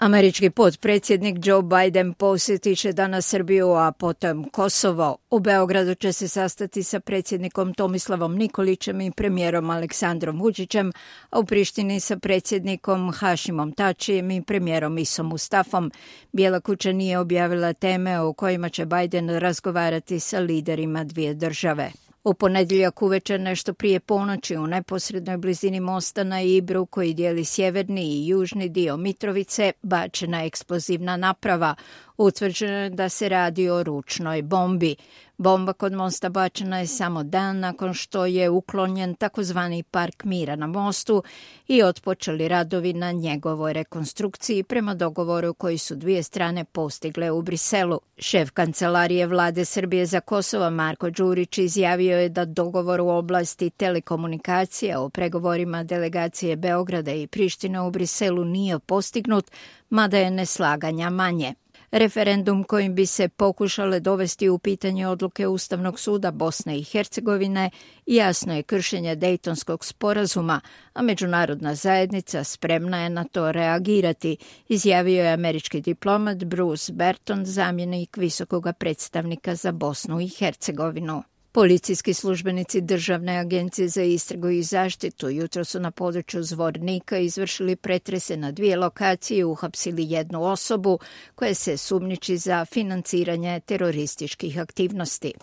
Američki potpredsjednik Joe Biden posjetit će danas Srbiju, a potom Kosovo. U Beogradu će se sastati sa predsjednikom Tomislavom Nikolićem i premijerom Aleksandrom Vučićem, a u Prištini sa predsjednikom Hašimom Tačijem i premijerom Isom Mustafom. Bijela kuća nije objavila teme o kojima će Biden razgovarati sa liderima dvije države. U ponedjeljak uveče nešto prije ponoći u neposrednoj blizini mosta na Ibru koji dijeli sjeverni i južni dio Mitrovice bačena eksplozivna naprava. Utvrđeno je da se radi o ručnoj bombi. Bomba kod mosta bačena je samo dan nakon što je uklonjen takozvani park mira na mostu i otpočeli radovi na njegovoj rekonstrukciji prema dogovoru koji su dvije strane postigle u Briselu. Šef kancelarije vlade Srbije za Kosovo Marko Đurić izjavio je da dogovor u oblasti telekomunikacija o pregovorima delegacije Beograda i Prištine u Briselu nije postignut, mada je neslaganja manje. Referendum kojim bi se pokušale dovesti u pitanje odluke Ustavnog suda Bosne i Hercegovine jasno je kršenje Dejtonskog sporazuma, a međunarodna zajednica spremna je na to reagirati, izjavio je američki diplomat Bruce Berton, zamjenik visokog predstavnika za Bosnu i Hercegovinu. Policijski službenici Državne agencije za istragu i zaštitu jutro su na području Zvornika izvršili pretrese na dvije lokacije i uhapsili jednu osobu koja se sumnjiči za financiranje terorističkih aktivnosti.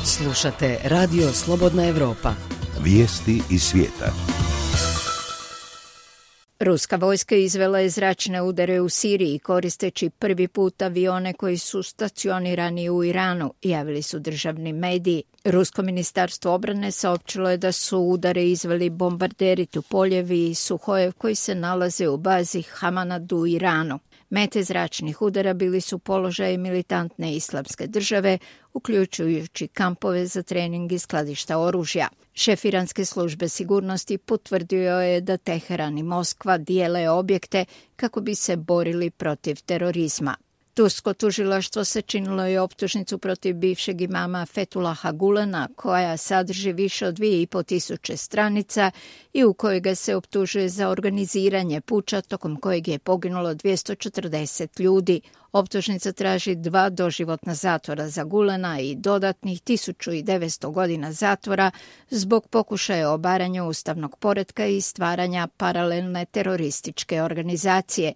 Slušate Radio Slobodna Evropa. Vijesti iz svijeta. Ruska vojska izvela je zračne udare u Siriji koristeći prvi put avione koji su stacionirani u Iranu, javili su državni mediji. Rusko ministarstvo obrane saopćilo je da su udare izveli bombarderi Tupoljevi i Suhojev koji se nalaze u bazi Hamanad u Iranu. Mete zračnih udara bili su položaji militantne islamske države, uključujući kampove za trening i skladišta oružja. Šef iranske službe sigurnosti potvrdio je da Teheran i Moskva dijele objekte kako bi se borili protiv terorizma. Tursko tužilaštvo sačinilo je optužnicu protiv bivšeg imama Fethullaha Gulena, koja sadrži više od 2500 stranica i u kojoj ga se optužuje za organiziranje puča tokom kojeg je poginulo 240 ljudi. Optužnica traži 2 doživotna zatvora za Gulena i dodatnih 1900 godina zatvora zbog pokušaja obaranja ustavnog poretka i stvaranja paralelne terorističke organizacije.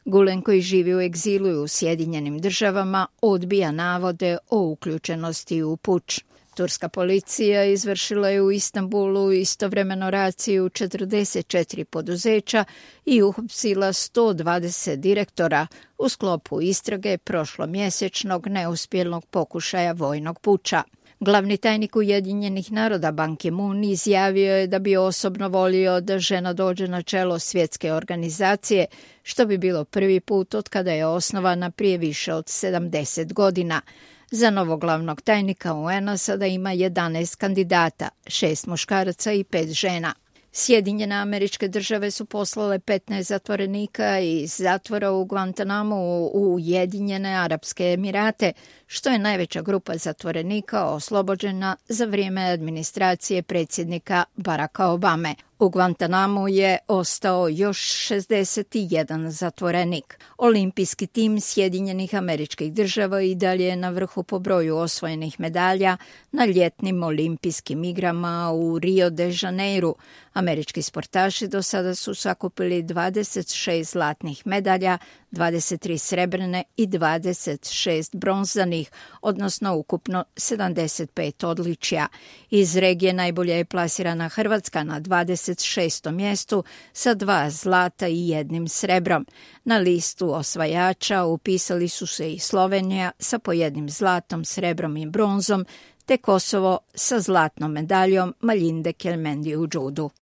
Gulen, koji živi u egzilu u Sjedinjenim državama, odbija navode o uključenosti u puč. Turska policija izvršila je u Istanbulu istovremeno raciju 44 poduzeća i uhapsila 120 direktora u sklopu istrage prošlomjesečnog neuspjelog pokušaja vojnog puča. Glavni tajnik Ujedinjenih naroda Ban Ki-moon izjavio je da bi osobno volio da žena dođe na čelo svjetske organizacije, što bi bilo prvi put od kada je osnovana prije više od 70 godina. Za novog glavnog tajnika UN-a sada ima 11 kandidata, 6 muškaraca i 5 žena. Sjedinjene Američke Države su poslale 15 zatvorenika iz zatvora u Guantanamu u Ujedinjene Arapske Emirate, što je najveća grupa zatvorenika oslobođena za vrijeme administracije predsjednika Baracka Obame. U Guantanamu je ostao još 61 zatvorenik. Olimpijski tim Sjedinjenih Američkih Država i dalje je na vrhu po broju osvojenih medalja na ljetnim olimpijskim igrama u Rio de Janeiru. Američki sportaši do sada su sakupili 26 zlatnih medalja, 23 srebrne i 26 bronzanih, odnosno ukupno 75 odličja. Iz regije najbolje je plasirana Hrvatska na 26. mjestu sa 2 zlata i 1 srebrom. Na listu osvajača upisali su se i Slovenija sa po 1 zlatom, srebrom i bronzom, te Kosovo sa zlatnom medaljom Maljinde Kelmendi u džudu.